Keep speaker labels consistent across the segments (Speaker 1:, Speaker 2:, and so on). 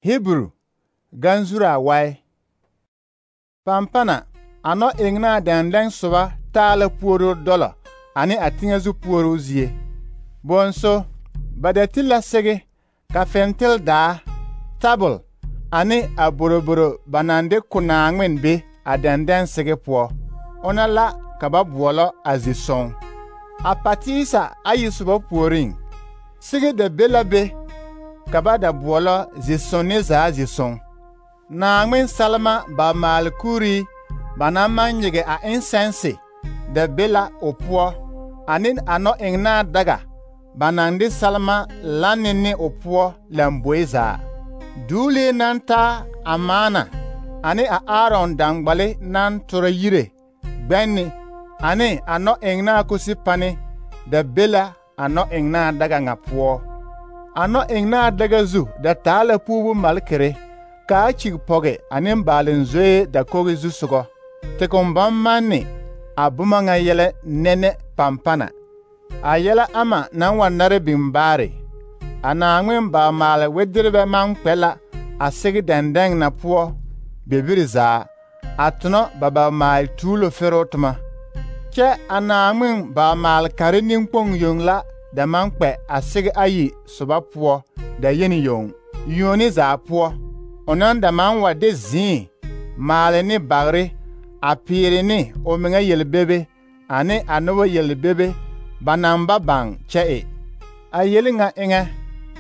Speaker 1: Hebrew ganzura wai. Pampana ano engna dendeng soba taala puoro dola ani a tiŋa zu puoro zie. Bonso badati la sege ka fentel daa, tabul ani a boroboro banande kunaangmen be a dendeng sege puo. Ona la ka ba buolo a zison. A patisa ayi soba puoring. Sige da bela be ka ba da buolo zison ne zaa zison. Naangmen salma ba maal kuri bana manyege a insense da bela o puo ani ano engna daga banande salma lanene o puo lamboeza. Dule nanta amana ani a Aaron dangbale nan tora yire gbenni ani ano engna kusipane da bela ano engna daga nga puo. Ano engna daga zu da taala pubu malkere ka chig poge ani mbalen zoe da kogi zu sugo. Te kombam manni abuma nga yele nene pampana. A yela ama nan wannare bimbare. Ana ngwen ba male wedirbe man kwela a sigi dendeng na puo bebiri za atno baba mal tulo ferotma. Ke ana ngwen ba mal kare ninkpong yongla da man kwe a sigi ayi soba puo da yeni yong. Yoni za puo. Onan da man wa de zin male ni bagre a pire ni o menga yelbebe ani anowo yelbebe banamba bang che. A yelinga inga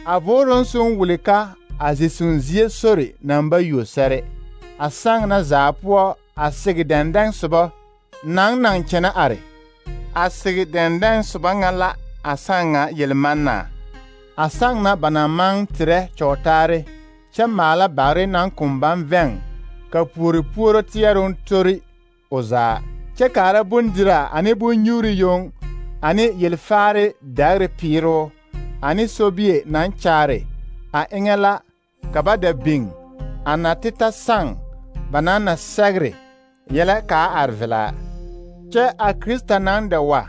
Speaker 1: a voron sun wulika a zisunzie sori namba yosere. A sang na zapuo a sigi dendeng suba nang chena are. A sigi dendeng suba ngala a sanga yelmanna. A sang na banamang tire chotare che mala bare nang kumban veng ka puri puro tierun tori oza. Che kara bundira ani bunyuri yong ani yelfare dagre piro ani sobie nan chare a engela kabada bing anatita sang banana sagre yela ka arvela. Che a Krista nan da wa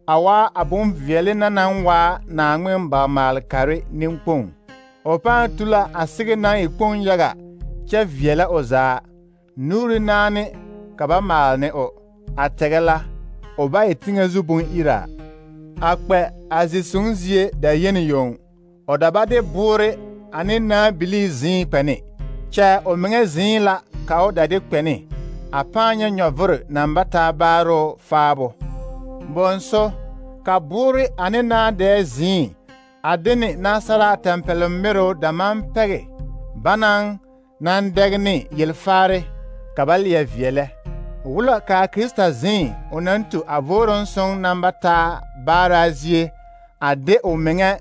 Speaker 1: awa abun viele nan wa na ngwen ba mal kare nimpong. Opa tula asige nan ikpong yaga che viela oza nuri nani kaba mal ne o ategela oba etinga zubun ira. Akpe azisunzie da yeni yong odabade bure ani na bili zin pene. Che o menge zin la ka o dade pene apanya nyovur nambata baro fabo. Bonso ka bure ani na de zin adini nasara tempel mero da man pege banang nan degni yelfare kabalia viele. Wula ka Krista zin onantu avoron son nambata barazie ade o menge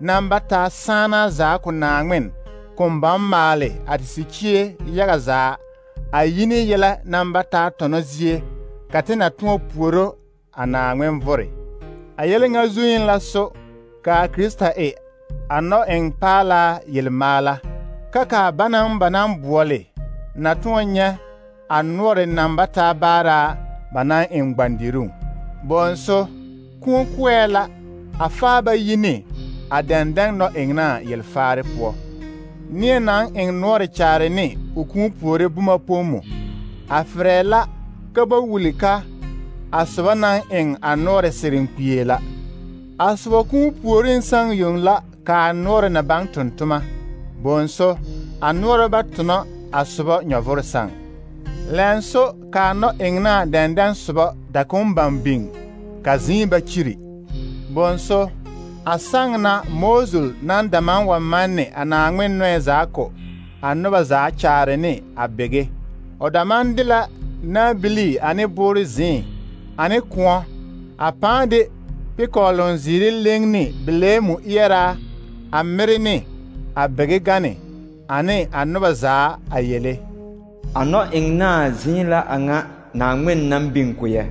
Speaker 1: nambata sana za kunangmen kumbam male atisikie yaga za ayini yela nambata tonozie katina tuo puoro anangmen vore. Ayele nga zuin la so ka Krista ano eng pala yelmala kaka banam buole na tuonya anore nambata bara banan eng bandiru. Bonso kunkwela afaba yini adendeng no engna yelfare puo. Nie nan eng nore chare ni ukun puore buma pomu. Afrela kaba wulika aswa nan eng anore sirinkwela. Aswa kun puorin sang yung la ka anore na bang tuntuma. Bonso anore batuno aswa nyovor sang. Lenso ka no engna dendeng suba da kumbang bing ka zimba chiri. Bonso asang na mozul nan daman wa manne anangwen noe zako anoba za chare ni abege. Odamandila na bili ani buri zin ani kuwa apande pikolon ziri lengni bilemu iyera amiri ni abege gane ani anoba za ayele.
Speaker 2: Ano engna zin la anga na ngwen nan binkuye.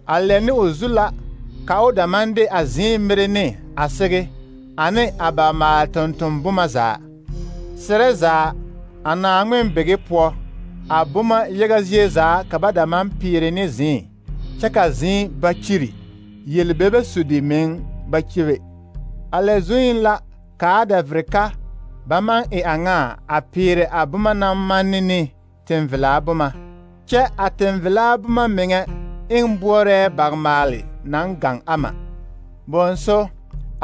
Speaker 1: Aleni uzula kao damande azin mirene asege ane abama tontombuma za. Sereza ana ngwen bege po abuma yegazie za kabada man pirene zin. Chaka zin bachiri yelbebe sudi men bachive. Ale zuin la kaada vreka ba maŋ e a ŋa a peere a boma naŋ manne ne tenvelaa boma, kyɛ a tenvelaa boma meŋɛ eŋ boɔrɛɛ bagmaale naŋ gaŋ ama. Bõonso,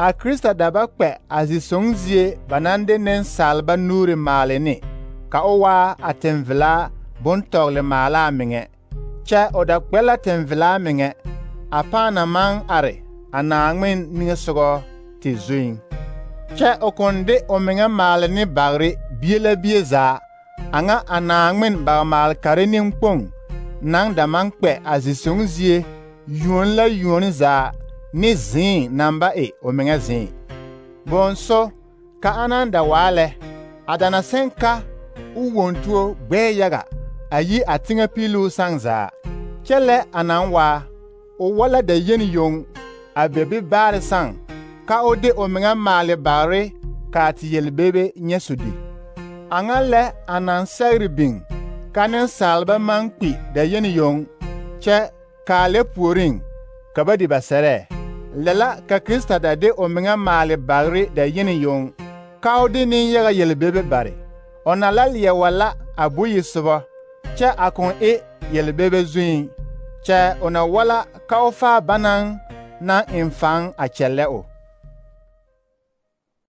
Speaker 1: a Krista da ba kpɛ a zi-sõng zie ba naŋ de nensaalba nuuri maale ne, ka o waa a tenvelaa bontɔgle maalaa meŋɛ, kyɛ o da kpɛ la tenvelaa meŋɛ a pãã na maŋ are a Naaŋmen niŋesogɔ te zuiŋ. Kyɛ o kõn de o meŋɛ maale ne bagre bie la bie zaa, a ŋa a Naaŋmen bagmaal kare nenkpoŋ naŋ da maŋ kpɛ a zi-sõng zie yuon la yuon zaa ne zĩig naŋ ba e o meŋɛ zĩig. Bõonso, ka ana da waa lɛ, a da na sẽn ka o wontuo gbɛɛ yaga a yi a teŋɛ piluu sãn zaa. Kyɛ lɛ a naŋ waa, o wa la da yen yoŋ a be bi baare sãn, ka o de o meŋɛ maale bagre kaa te yelbebe nyɛ sodi. A ŋa lɛ a naŋ sɛgre biŋ ka nensaalba maŋ kpi da yen yoŋ, kyɛ kaa lɛ puoriŋ ka ba di ba sɛrɛɛ. Lɛ la ka Krista da de o meŋɛ maale bagre da yen yoŋ, ka o de nenyaga yelbebe bare. O na la leɛ wa la a boyi sobɔ, kyɛ a kõn e yelbebe zuiŋ, kyɛ o na wa la ka o faa banaŋ naŋ eŋ faŋ a kyɛllɛ o.